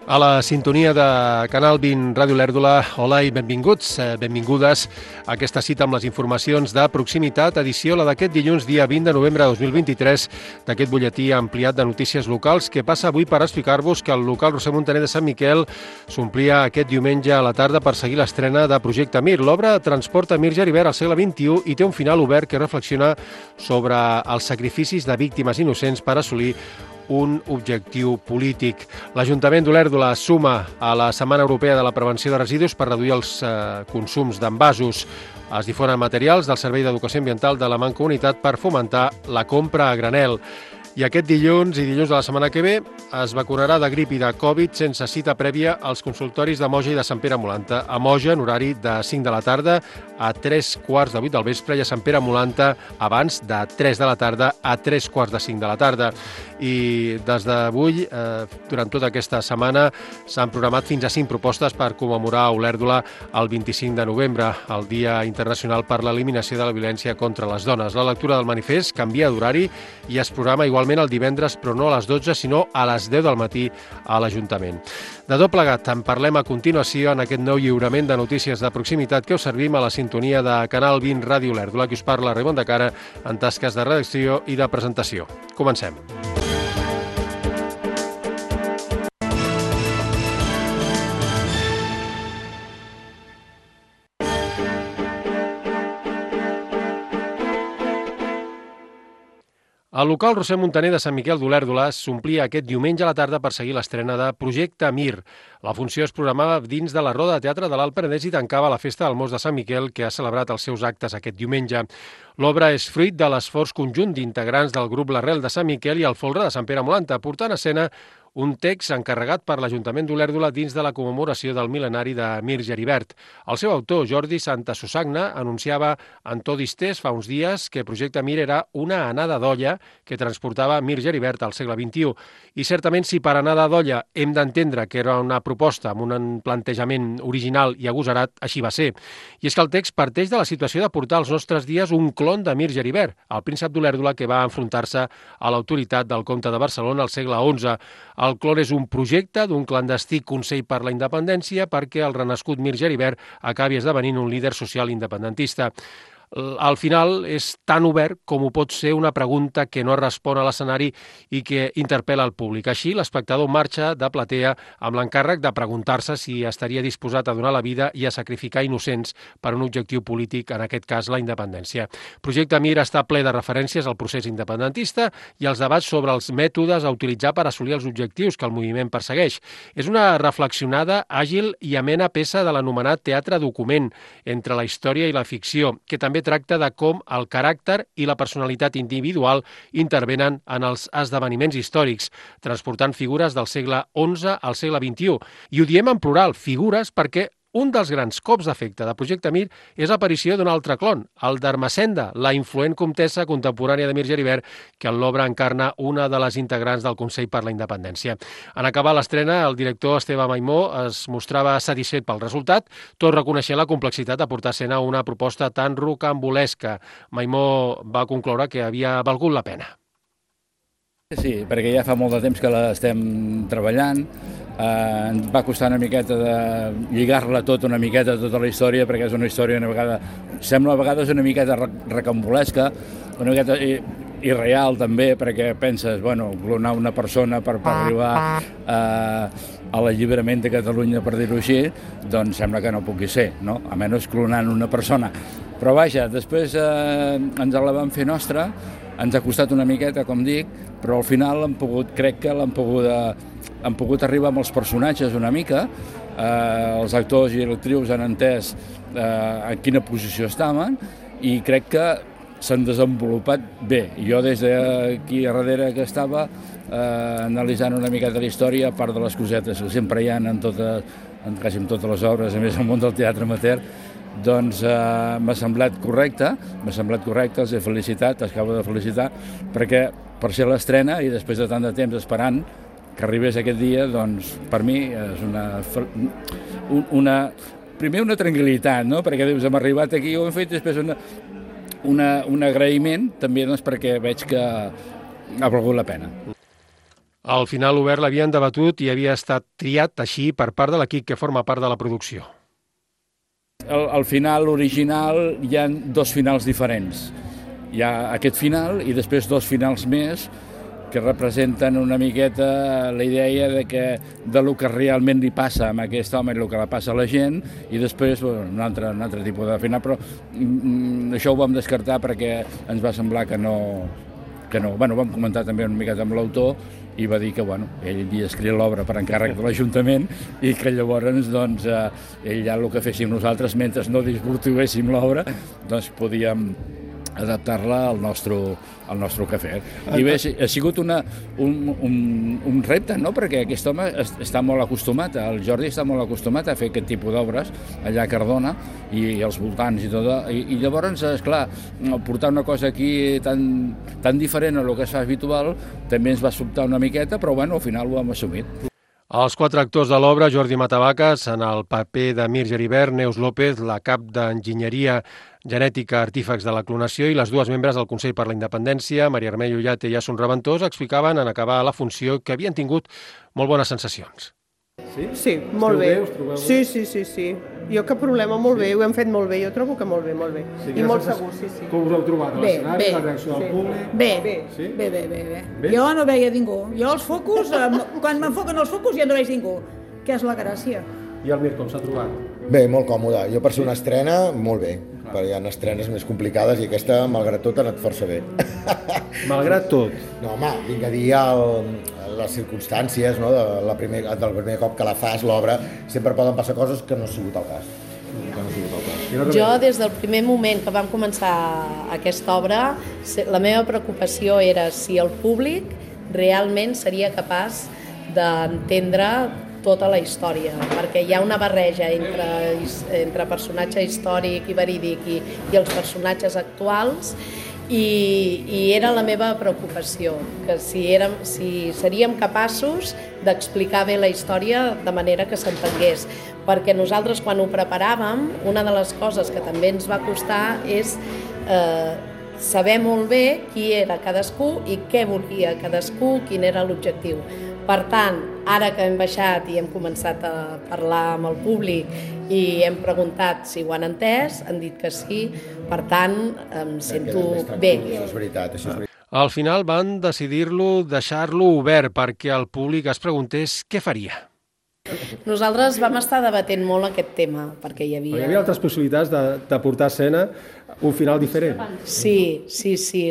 A la sintonia de Canal 20 Ràdio Lèrdula, hola i benvinguts, benvingudes a aquesta cita amb les informacions de proximitat, edició la d'aquest dilluns, dia 20 de novembre de 2023, d'aquest butlletí ampliat de notícies locals que passa avui per explicar-vos que el local Roser Montaner de Sant Miquel s'omplia aquest diumenge a la tarda per seguir l'estrena de Projecte Mir. L'obra transporta Mir Geribert al segle XXI i té un final obert que reflexiona sobre els sacrificis de víctimes innocents per assolir un objectiu polític. L'Ajuntament d'Olèrdola suma a la Setmana Europea de la Prevenció de Residus per reduir els consums d'envasos. Es difonen materials del Servei d'Educació Ambiental de la Mancomunitat per fomentar la compra a granel. I aquest dilluns i dilluns de la setmana que ve es vacunarà de grip i de Covid sense cita prèvia als consultoris de Moja i de Sant Pere Molanta. A Moja, en horari de 5 de la tarda a 3:15 del vespre, i a Sant Pere Molanta abans de 3 de la tarda a 3:45 de la tarda. I des d'avui, durant tota aquesta setmana, s'han programat fins a 5 propostes per commemorar a Olèrdola el 25 de novembre, el Dia Internacional per l'Eliminació de la Violència contra les Dones. La lectura del manifest canvia d'horari i es programa igualment el divendres, però no a les 12, sinó a les 10 del matí a l'Ajuntament. De tot plegat, en parlem a continuació en aquest nou lliurament de notícies de proximitat que us servim a la sintonia de Canal 20 Ràdio Olèrdola, que us parla Raimon de Cara en tasques de redacció i de presentació. Comencem. El local Roser Montaner de Sant Miquel d'Olèrdola s'omplia aquest diumenge a la tarda per seguir l'estrena de Projecte Mir. La funció es programava dins de la Roda de Teatre de l'Alt Penedès i tancava la Festa del Mos de Sant Miquel, que ha celebrat els seus actes aquest diumenge. L'obra és fruit de l'esforç conjunt d'integrants del grup L'Arrel de Sant Miquel i el Folre de Sant Pere Molanta, portant a escena un text encarregat per l'Ajuntament d'Olèrdola dins de la commemoració del mil·lenari de Mir Geribert. El seu autor, Jordi Santasusagna, anunciava en to distès fa uns dies que Projecte Mir era una anada d'olla que transportava Mir Geribert al segle XXI. I certament, si per anada d'olla hem d'entendre que era una proposta amb un plantejament original i agosarat, així va ser. I és que el text parteix de la situació de portar als nostres dies un clon de Mir Geribert, el príncep d'Olèrdola que va enfrontar-se a l'autoritat del comte de Barcelona al segle XI. El clon és un projecte d'un clandestí Consell per la Independència perquè el renascut Mir Geribert acabi esdevenint un líder social independentista. Al final és tan obert com ho pot ser una pregunta que no respon a l'escenari i que interpel·la el públic. Així, l'espectador marxa de platea amb l'encàrrec de preguntar-se si estaria disposat a donar la vida i a sacrificar innocents per un objectiu polític, en aquest cas la independència. Projecte Mir està ple de referències al procés independentista i als debats sobre els mètodes a utilitzar per assolir els objectius que el moviment persegueix. És una reflexionada, àgil i amena peça de l'anomenat teatre document entre la història i la ficció, que també tracta de com el caràcter i la personalitat individual intervenen en els esdeveniments històrics, transportant figures del segle XI al segle XXI. I ho diem en plural, figures, perquè un dels grans cops d'efecte de Projecte Mir és l'aparició d'un altre clon, el d'Ermessenda, la influent comtessa contemporània de Mir Geribert, que en l'obra encarna una de les integrants del Consell per la Independència. En acabar l'estrena, el director Esteve Maimó es mostrava satisfet pel resultat, tot reconeixent la complexitat de portar a escena una proposta tan rocambolesca. Maimó va concloure que havia valgut la pena. Sí, perquè ja fa molt de temps que l'estem treballant. Ens va costar una miqueta de lligar-la tot una miqueta, tota la història, perquè és una història sembla a vegades una miqueta recambolesca, una miqueta irreal també, perquè penses, clonar una persona per arribar a l'alliberament de Catalunya, per dir-ho així, doncs sembla que no pugui ser, no? A menys clonant una persona. Però vaja, després ens la vam fer nostra, ens ha costat una miqueta, com dic, però al final crec que han pogut arribar amb els personatges una mica, els actors i actrius han entès en quina posició estaven i crec que s'han desenvolupat bé. Jo des d'aquí a darrere que estava analitzant una miqueta la història, a part de les cosetes que sempre hi ha en quasi en totes les obres, a més al món del teatre amateur, doncs m'ha semblat correcte, els he felicitat, els acabo de felicitar, perquè per ser l'estrena i després de tant de temps esperant que arribés aquest dia, doncs per mi és primer una tranquil·litat, no? Perquè dius, hem arribat aquí, ho hem fet, després un agraïment també, doncs, perquè veig que ha valgut la pena. Al final l'obert l'havien debatut i havia estat triat així per part de l'equip que forma part de la producció. Al final original hi ha dos finals diferents. Hi ha aquest final i després dos finals més que representen una miqueta la idea de lo que realment li passa a aquest home i el que li passa a la gent, i després un altre tipus de final, però això ho vam descartar perquè ens va semblar que no. Bueno, vam comentar també una miqueta amb l'autor i va dir que ell havia escrit l'obra per encàrrec de l'Ajuntament i que llavors ell ja el que féssim nosaltres mentre no desvirtuéssim l'obra podíem adaptar-la al nostre cafè. I bé, ha sigut un repte, no? Perquè aquest home està molt acostumat, el Jordi està molt acostumat a fer aquest tipus d'obres allà a Cardona i als voltants i tot, i llavors, esclar, portar una cosa aquí tan diferent a lo que es fa habitual també ens va sobtar una miqueta, però bueno, al final ho hem assumit. Els quatre actors de l'obra, Jordi Matavaques, en el paper de Mir Geribert, Neus López, la cap d'Enginyeria Genètica Artífex de la Clonació, i les dues membres del Consell per la Independència, Maria Armell Ullate i Asun Reventós, explicaven en acabar la funció que havien tingut molt bones sensacions. Sí, molt bé. Sí. Jo cap problema, molt bé, ho hem fet molt bé, jo trobo que molt bé. I molt segur, sí. Com us heu trobat a l'escenari, la reacció del públic? Bé. Jo no veia ningú. Jo els focus, quan m'enfoquen els focus ja no veig ningú, que és la gràcia. I el Mir, com s'ha trobat? Bé, molt còmode. Jo per ser una estrena, molt bé. Perquè hi ha estrenes més complicades i aquesta, malgrat tot, ha anat força bé. Malgrat tot? No, home, vinc a dir les circumstàncies, no? Del primer cop que la fas, l'obra, sempre poden passar coses que no ha sigut el cas. Jo, des del primer moment que vam començar aquesta obra, la meva preocupació era si el públic realment seria capaç d'entendre tota la història, perquè hi ha una barreja entre personatge històric i verídic i els personatges actuals, i era la meva preocupació, que si seríem capaços d'explicar bé la història de manera que s'entengués, perquè nosaltres quan ho preparàvem, una de les coses que també ens va costar és saber molt bé qui era cadascú i què volia cadascú, quin era l'objectiu. Per tant, ara que hem baixat i hem començat a parlar amb el públic i hem preguntat si ho han entès, han dit que sí, per tant, em sento bé. Això és veritat. Al final van deixar-lo obert perquè el públic es preguntés què faria. Nosaltres vam estar debatent molt aquest tema, perquè hi havia altres possibilitats de portar a escena un final diferent. Sí.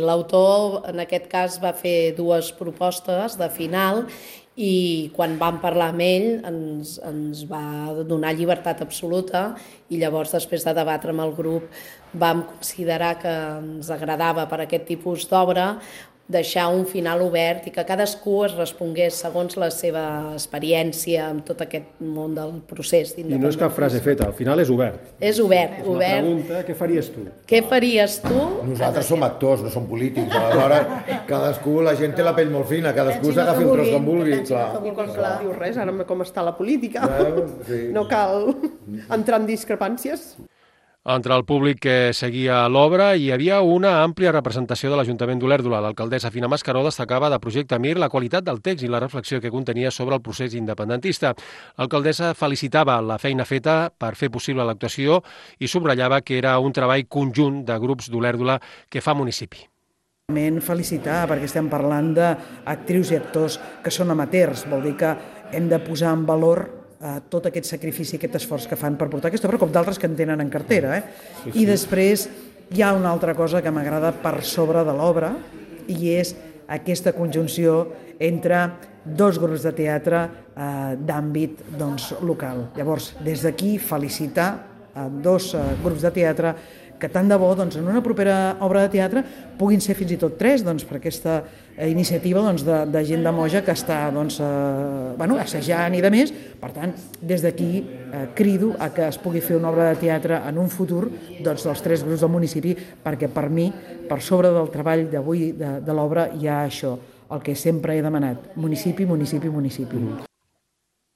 L'autor, en aquest cas, va fer dues propostes de final i quan vam parlar amb ell ens va donar llibertat absoluta i llavors, després de debatre amb el grup, vam considerar que ens agradava per aquest tipus d'obra deixar un final obert i que cadascú es respongués segons la seva experiència amb tot aquest món del procés d'independència. I no és cap frase feta, al final és obert. És obert. És una pregunta, què faries tu? Què faries tu? Nosaltres som actors, no som polítics, aleshores cadascú, la gent té la pell molt fina, cadascú s'agafi un tros que en vulgui. I quan no diu res, ara com està la política, no cal entrar en discrepàncies. Entre el públic que seguia l'obra hi havia una àmplia representació de l'Ajuntament d'Olèrdola. L'alcaldessa Fina Mascaró destacava de Projecte Mir la qualitat del text i la reflexió que contenia sobre el procés independentista. L'alcaldessa felicitava la feina feta per fer possible l'actuació i subratllava que era un treball conjunt de grups d'Olèrdola que fa municipi. Felicitar, perquè estem parlant d'actrius i actors que són amateurs, vol dir que hem de posar en valor tot aquest sacrifici, aquest esforç que fan per portar aquesta obra, com d'altres que en tenen en cartera. I després hi ha una altra cosa que m'agrada per sobre de l'obra i és aquesta conjunció entre dos grups de teatre d'àmbit local. Llavors, des d'aquí, felicitar dos grups de teatre que tant de bo en una propera obra de teatre puguin ser fins i tot tres per aquesta iniciativa de gent de Moja que està assajant i de més. Per tant, des d'aquí crido a que es pugui fer una obra de teatre en un futur dels tres grups del municipi, perquè per mi, per sobre del treball d'avui de l'obra, hi ha això, el que sempre he demanat, municipi.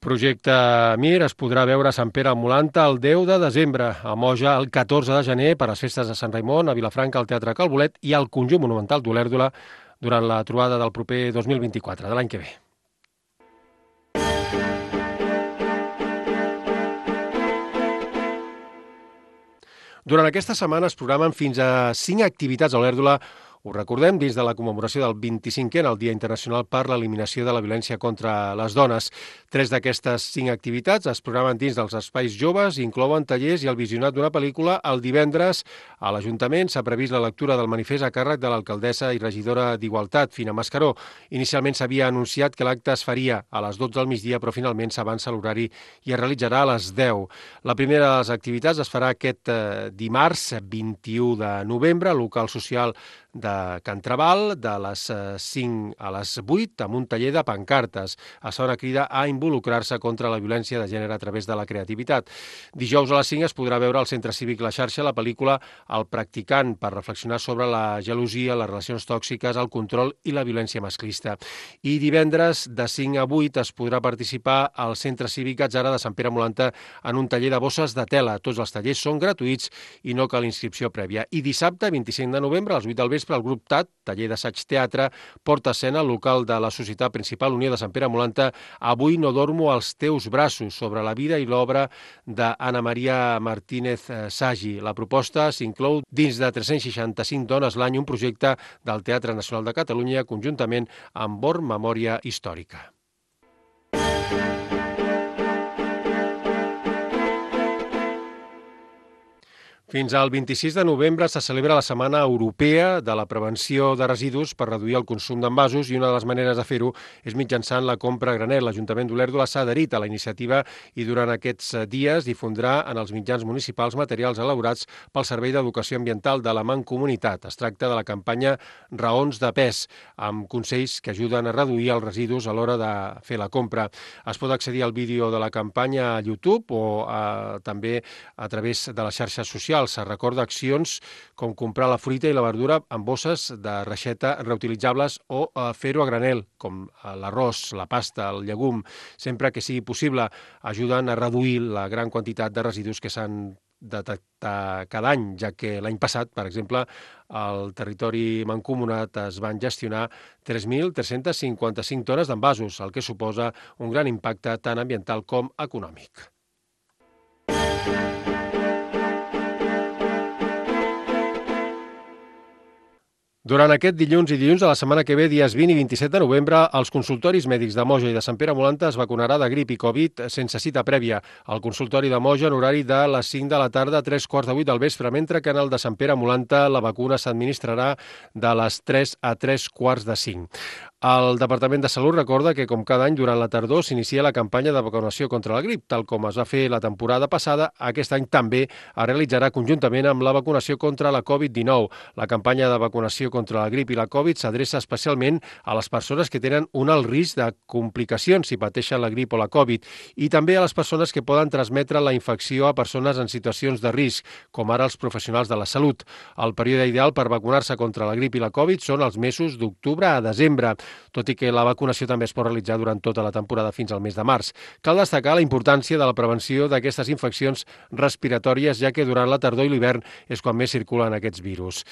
Projecte Mir es podrà veure a Sant Pere al Molanta el 10 de desembre, a Moja el 14 de gener per a les festes de Sant Raimon, a Vilafranca al Teatre Calbolet i al Conjunt Monumental d'Olèrdola durant la trobada del proper 2024, de l'any que ve. Durant aquesta setmana es programen fins a 5 activitats a Olèrdola. Ho recordem dins de la commemoració del 25è, el Dia Internacional per l'Eliminació de la Violència contra les Dones. 3 d'aquestes 5 activitats es programen dins dels espais joves, inclouen tallers i el visionat d'una pel·lícula. El divendres a l'Ajuntament s'ha previst la lectura del manifest a càrrec de l'alcaldessa i regidora d'Igualtat, Fina Mascaró. Inicialment s'havia anunciat que l'acte es faria a les 12 del migdia, però finalment s'avança l'horari i es realitzarà a les 10. La primera de les activitats es farà aquest dimarts 21 de novembre al local social de Can Trabal, de les 5 a les 8, amb un taller de pancartes. Es fa una crida a involucrar-se contra la violència de gènere a través de la creativitat. Dijous a les 5 es podrà veure al Centre Cívic La Xarxa la pel·lícula El practicant, per reflexionar sobre la gelosia, les relacions tòxiques, el control i la violència masclista. I divendres de 5 a 8 es podrà participar al Centre Cívic Atzara de Sant Pere Molanta en un taller de bosses de tela. Tots els tallers són gratuïts i no cal inscripció prèvia. I dissabte, 25 de novembre, a les 8 del vespre, el grup TAT, taller d'assaig teatre, porta escena al local de la Societat Principal Unió de Sant Pere Molanta, Avui no dormo als teus braços, sobre la vida i l'obra d'Anna Maria Martínez Sagi. La proposta s'inclou dins de 365 dones l'any, un projecte del Teatre Nacional de Catalunya, conjuntament amb Born Memòria Històrica. Fins al 26 de novembre se celebra la Setmana Europea de la Prevenció de Residus per reduir el consum d'envasos, i una de les maneres de fer-ho és mitjançant la compra a granel. L'Ajuntament d'Olèrdola s'ha adherit a la iniciativa i durant aquests dies difondrà en els mitjans municipals materials elaborats pel Servei d'Educació Ambiental de la Mancomunitat. Es tracta de la campanya Raons de pes, amb consells que ajuden a reduir els residus a l'hora de fer la compra. Es pot accedir al vídeo de la campanya a YouTube o també a través de les xarxes socials. Se recorda accions com comprar la fruita i la verdura en bosses de reixeta reutilitzables o fer-ho a granel, com l'arròs, la pasta, el llegum. Sempre que sigui possible, ajuden a reduir la gran quantitat de residus que s'han detectat cada any, ja que l'any passat, per exemple, al territori mancomunat es van gestionar 3.355 tones d'envasos, el que suposa un gran impacte tant ambiental com econòmic. Durant aquest dilluns i dilluns de la setmana que ve, dies 20 i 27 de novembre, als consultoris mèdics de Moja i de Sant Pere Molanta es vacunarà de grip i Covid sense cita prèvia. Al consultori de Moja en horari de les 5 de la tarda a 3:15 del vespre, mentre que en el de Sant Pere Molanta la vacuna s'administrarà de les 3 a 3:45. El Departament de Salut recorda que, com cada any, durant la tardor s'inicia la campanya de vacunació contra la grip. Tal com es va fer la temporada passada, aquest any també es realitzarà conjuntament amb la vacunació contra la Covid-19. La campanya de vacunació contra la grip i la Covid s'adreça especialment a les persones que tenen un alt risc de complicacions si pateixen la grip o la Covid, i també a les persones que poden transmetre la infecció a persones en situacions de risc, com ara els professionals de la salut. El període ideal per vacunar-se contra la grip i la Covid són els mesos d'octubre a desembre, tot i que la vacunació també es pot realitzar durant tota la temporada fins al mes de març. Cal destacar la importància de la prevenció d'aquestes infeccions respiratòries, ja que durant la tardor i l'hivern és quan més circulen aquests virus.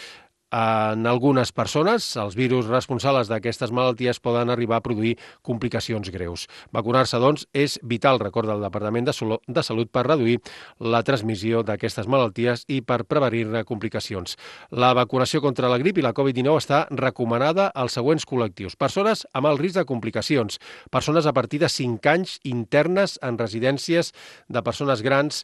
En algunes persones, els virus responsables d'aquestes malalties poden arribar a produir complicacions greus. Vacunar-se, doncs, és vital, recorda el Departament de Salut, per reduir la transmissió d'aquestes malalties i per prevenir-ne complicacions. La vacunació contra la grip i la Covid-19 està recomanada als següents col·lectius: persones amb alt risc de complicacions, persones a partir de 5 anys internes en residències de persones grans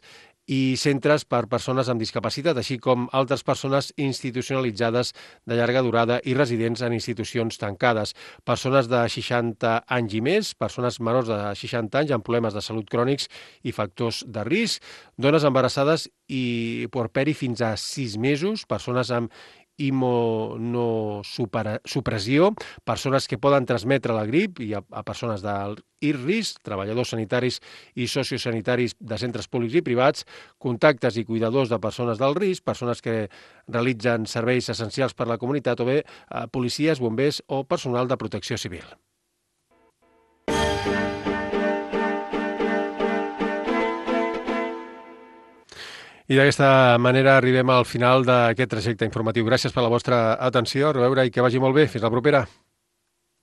i centres per persones amb discapacitat, així com altres persones institucionalitzades de llarga durada i residents en institucions tancades, persones de 60 anys i més, persones menors de 60 anys amb problemes de salut crònics i factors de risc, dones embarassades i puerperi fins a 6 mesos, persones amb immunosupressió, persones que poden transmetre la grip i a persones d'alt risc, treballadors sanitaris i sociosanitaris de centres públics i privats, contactes i cuidadors de persones d'alt risc, persones que realitzen serveis essencials per a la comunitat o bé policies, bombers o personal de protecció civil. I d'aquesta manera arribem al final d'aquest trajecte informatiu. Gràcies per la vostra atenció, a reveure i que vagi molt bé. Fins la propera.